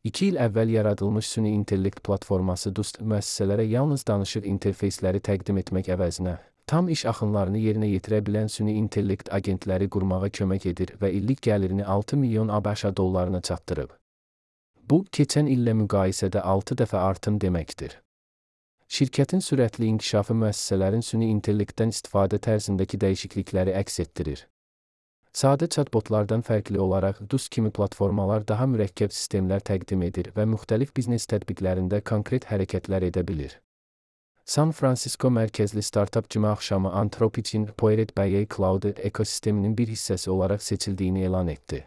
2 il əvvəl yaradılmış süni intellekt platforması DUST müəssisələrə yalnız danışıq interfeysləri təqdim etmək əvəzinə, tam iş axınlarını yerinə yetirə bilən süni intellekt agentləri qurmağa kömək edir və illik gəlirini 6 milyon ABŞ dollarına çatdırıb. Bu, keçən illə müqayisədə 6 dəfə artım deməkdir. Şirkətin sürətli inkişafı müəssisələrin süni intellektdən istifadə tərzindəki dəyişiklikləri əks etdirir. Sadə chatbotlardan fərqli olaraq DUST kimi platformalar daha mürəkkəb sistemlər təqdim edir və müxtəlif biznes tətbiqlərində konkret hərəkətlər edə bilir. San Francisco mərkəzli startap cümə axşamı Anthropic'in Poiret BA Cloud ekosisteminin bir hissəsi olaraq seçildiyini elan etdi.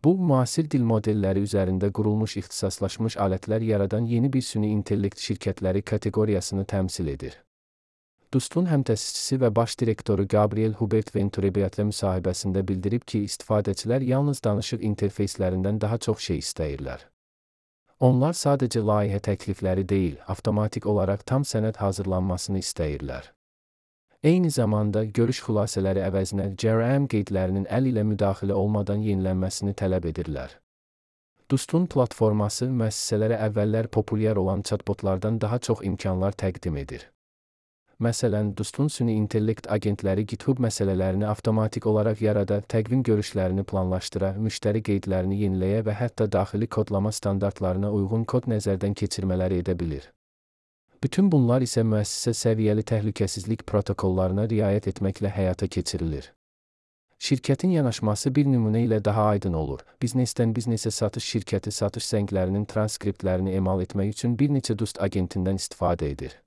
Bu, müasir dil modelləri üzərində qurulmuş ixtisaslaşmış alətlər yaradan yeni bir süni intellekt şirkətləri kateqoriyasını təmsil edir. DUST-un həmtəsisçisi və baş direktoru Gabriel Hubert Venturebiatlə müsahibəsində bildirib ki, istifadəçilər yalnız danışıq interfeyslərindən daha çox şey istəyirlər. Onlar sadəcə layihə təklifləri deyil, avtomatik olaraq tam sənəd hazırlanmasını istəyirlər. Eyni zamanda, görüş xülasələri əvəzinə CRM qeydlərinin əl ilə müdaxilə olmadan yenilənməsini tələb edirlər. DUST-un platforması müəssisələrə əvvəllər populyar olan chatbotlardan daha çox imkanlar təqdim edir. Məsələn, DUST-un süni intellekt agentləri GitHub məsələlərini avtomatik olaraq yarada, təqvim görüşlərini planlaşdıra, müştəri qeydlərini yeniləyə və hətta daxili kodlama standartlarına uyğun kod nəzərdən keçirmələri edə bilir. Bütün bunlar isə müəssisə səviyyəli təhlükəsizlik protokollarına riayət etməklə həyata keçirilir. Şirkətin yanaşması bir nümunə ilə daha aydın olur. Biznesdən biznesə satış şirkəti satış zənglərinin transkriptlərini emal etmək üçün bir neçə DUST agentindən istifadə edir.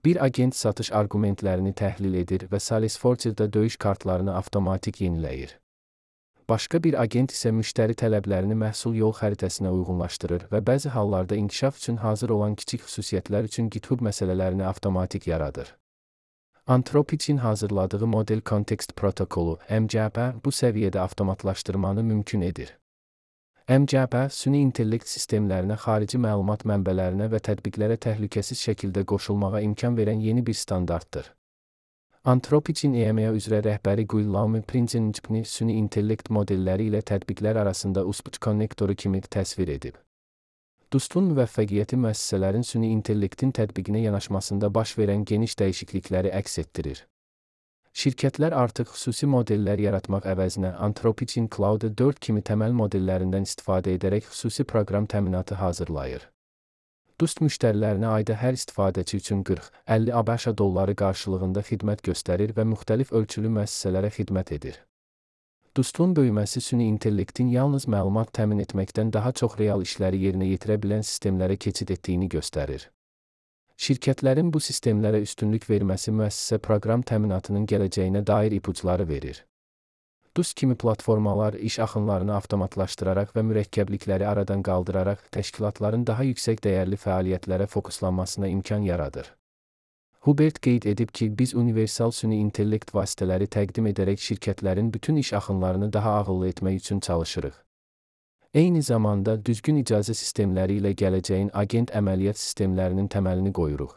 Bir agent satış arqumentlərini təhlil edir və Salesforce-da döyüş kartlarını avtomatik yeniləyir. Başqa bir agent isə müştəri tələblərini məhsul yol xəritəsinə uyğunlaşdırır və bəzi hallarda inkişaf üçün hazır olan kiçik xüsusiyyətlər üçün GitHub məsələlərini avtomatik yaradır. Anthropic'in hazırladığı model kontekst protokolu MCP bu səviyyədə avtomatlaşdırmanı mümkün edir. MCP, süni intellekt sistemlərinə xarici məlumat mənbələrinə və tətbiqlərə təhlükəsiz şəkildə qoşulmağa imkan verən yeni bir standartdır. Anthropic'in EMEA üzrə rəhbəri Guillaume Prinzenchpni süni intellekt modelləri ilə tətbiqlər arasında USB konnektoru kimi təsvir edib. DUST-un müvəffəqiyyəti müəssisələrin süni intellektin tətbiqinə yanaşmasında baş verən geniş dəyişiklikləri əks etdirir. Şirkətlər artıq xüsusi modellər yaratmaq əvəzinə Anthropic'in Cloud 4 kimi təməl modellərindən istifadə edərək xüsusi proqram təminatı hazırlayır. DUST müştərilərinə ayda hər istifadəçi üçün 40-50 ABŞ dolları qarşılığında xidmət göstərir və müxtəlif ölçülü müəssisələrə xidmət edir. DUST-un böyüməsi süni intellektin yalnız məlumat təmin etməkdən daha çox real işləri yerinə yetirə bilən sistemlərə keçid etdiyini göstərir. Şirkətlərin bu sistemlərə üstünlük verməsi müəssisə proqram təminatının gələcəyinə dair ipuçları verir. DUST kimi platformalar iş axınlarını avtomatlaşdıraraq və mürəkkəblikləri aradan qaldıraraq təşkilatların daha yüksək dəyərli fəaliyyətlərə fokuslanmasına imkan yaradır. Hubert qeyd edib ki, biz universal süni intellekt vasitələri təqdim edərək şirkətlərin bütün iş axınlarını daha ağıllı etmək üçün çalışırıq. Eyni zamanda, düzgün icazə sistemləri ilə gələcəyin agent əməliyyat sistemlərinin təməlini qoyuruq.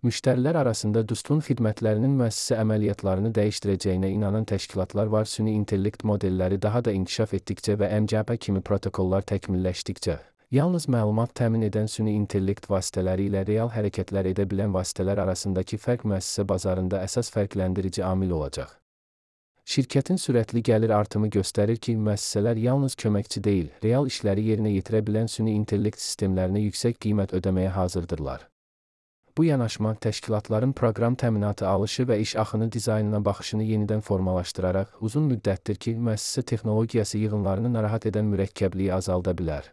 Müştərilər arasında DUST-un xidmətlərinin müəssisə əməliyyatlarını dəyişdirəcəyinə inanan təşkilatlar var. Süni intellekt modelləri daha da inkişaf etdikcə və MCP kimi protokollar təkmilləşdikcə, yalnız məlumat təmin edən süni intellekt vasitələri ilə real hərəkətlər edə bilən vasitələr arasındakı fərq müəssisə bazarında əsas fərqləndirici amil olacaq. Şirkətin sürətli gəlir artımı göstərir ki, müəssisələr yalnız köməkçi deyil, real işləri yerinə yetirə bilən süni intellekt sistemlərinə yüksək qiymət ödəməyə hazırdırlar. Bu yanaşma təşkilatların proqram təminatı alışı və iş axını dizaynına baxışını yenidən formalaşdıraraq uzun müddətdir ki, müəssisə texnologiyası yığınlarını narahat edən mürəkkəbliyi azalda bilər.